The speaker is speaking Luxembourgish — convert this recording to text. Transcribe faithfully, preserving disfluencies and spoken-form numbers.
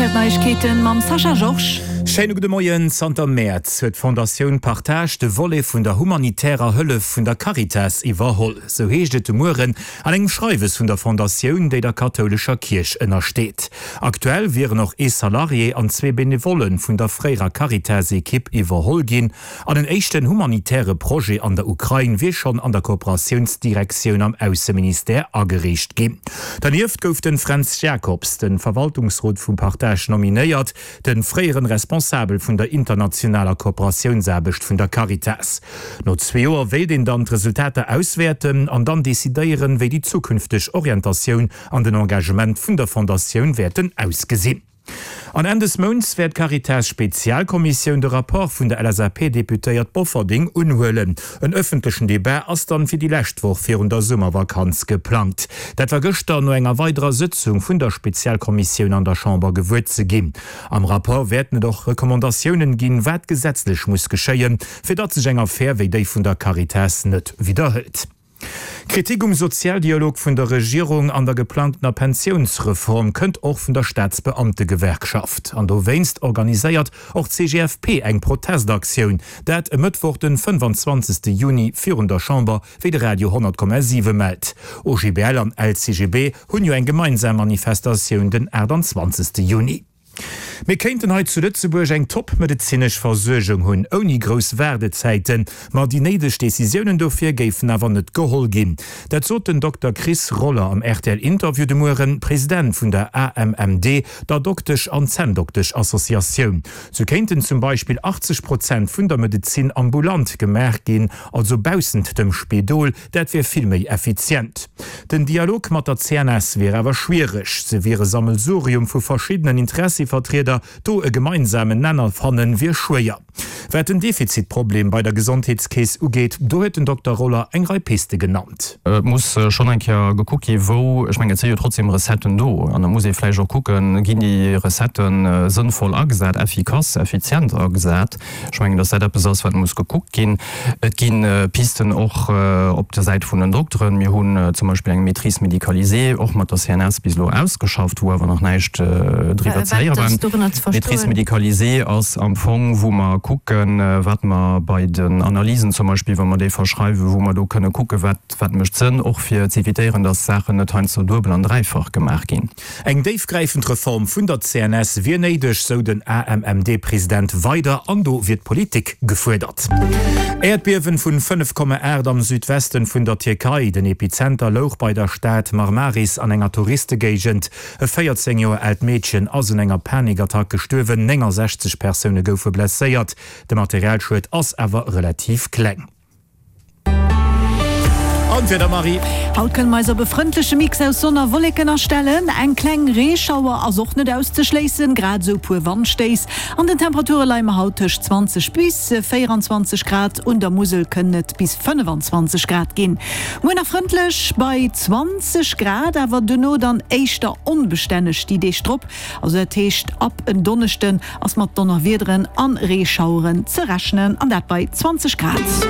R T L Neiegkeeten mam Sascha Georges. Schéine gudde Moien. Zanter Mäerz huet d'Fondatioun Partage de Volet vun der humanitärer Hëllef vun der Caritas iwwerholl. Sou heescht et de Mueren an engem Schreiwes vun der Fondatioun, déi der kathoulescher Kierch ënnersteet. Aktuell wieren och ee Salarié an zwee Benevolle vun der fréierer Caritas-Ekipp iwwerholl ginn. An en éischten humanitäre Projet an der Ukrain wier schonn an der Kooperatiounsdirektioun am Ausseministère agereecht ginn. Dernieft gouf de Fränz Jacobs de Verwaltungsrot vum Partage nominéiert, de fréieren Responsabel vun der internationaler Kooperatiounsaarbecht vun der Caritas. No zwee Joer wéilt een dann d'Resultater auswäerten an dann decidéieren, wéi déi zukünfteg Orientatioun an den Engagement vun der Fondatioun wäerten ausgesinn. An Enn des Mounts wäert d'Caritas-Spezialkommissioun de Rapport vun der L S A P-Deputéiert Bofferding unhuelen. En ëffentlechen Debat ass dann fir déi lescht Woch virun der Summervakanz geplangt. Dat war gëschter no enger weiderer Sëtzung vun der Spezialkommissioun an der Chamber gewuer ze ginn. Am Rapport wäerten et och Recommandatiounen ginn, wat gesetzlech muss geschéien, fir datt sech eng Affär wéi déi vun der Caritas net widderhëlt. Kritik um Sozialdialog vun der Regierung an der geplangtener Pensiounsreform kënnt och vun der Staatsbeamtegewerkschaft. An dowéinst organiséiert och d'C G F P eng Protestaktioun. Dat e Mëttwoch den fënnefanzwanzegste Juni virun der Chamber, wéi de Radio honnert Komma siwe mellt. O G B L an L C G B hunn jo eng gemeinsam Manifestatioun den aachtanzwanzegste Juni. Mir kéinten hei zu Lëtzebuerg eng top-medezinesch Versuergung hunn, ouni grouss Waardezäiten, ma déi néideg Decisiounen dofir géifen awer net geholl ginn. Dat sot den Dokter Chris Roller am R T L-Interview de Mueren, President vun der A M M D, der Doktesch an Zänndoktesch-Associatioun. Sou kéinten zum Beispill achtzeg Prozent vun der Medezin ambulant gemaach ginn, also baussent dem Spidol, dat wier vill méi effizient. Den Dialog mat der C N S wier awer schwiereg, se wier e Sammelsurium vu verschiddenen Interessevertrieder, do e gemeinsamen Nenner fannen, wier schwéier. Wat den Defizitproblem bei der Gesondheetskeess ugeet, do huet den Dokter Roller eng Rei Piste genannt. Et muss schonn eng Kéier gekuckt gi wou, ech mengen et si jo trotzdem Recetten do, an da muss ee vläicht och kucken, ginn déi Recettë sënnvoll agesat, effikass, effizient agesat. Ech mengen, datt dat eppes ass, wat muss gekuckt ginn. Et gi Pisten och op der Säit vun den Dokteren. Mir hunn zum Beispill eng Maîtrise médicalisée och mat der C N S bis elo ausgeschafft, wou awer nach näischt driwwer ze héiere war. Maîtrise médicalisée ass am Fong, wou mer kucken, wat mer bei den Analysen zum Beispill, wa mer déi verschreiwen, wou mer do kënne kucken, wat, wat mécht Sënn, och fir z'evitéieren, dass Saachen net heiansdo duebel an dräifach gemaach ginn. Eng déifgräifend Reform vun der C N S wier néideg, sou den A M M D-President weider, an do wier d'Politik gefuerdert. Äerdbiewen vun fënnef Komma aacht am Südwesten vun der Tierkei. Den Epizenter louch bei der Stad Marmaris an enger Touristegéigend. E véierzéng Joer aalt Meedchen ass un enger Panikattack gestuerwen, néngensechzeg Persoune goufe blesséiert. De Materialschued ass awer relativ kleng. An d'Wieder, Marie. Haut kënne mer eis op e frëndleche Mix aus Sonn a Wolleken astellen. Eng kleng Reeschauer ass och net auszeschléissen, grad esou puer Wandstéiss. An den Temperature leie mer haut tëscht zwanzeg bis véieranzwanzeg Grad, un der Musel kënnen et bis fënnefanzwanzeg Grad ginn. Muer nach frëndlech bei zwanzeg Grad, awer duerno dann éischter onbestänneg déi Deeg drop. Also dat heescht ab en Donneschden ass mat Donnerwiederen an Reeschaueren ze rechnen, an dat bei zwanzeg Grad.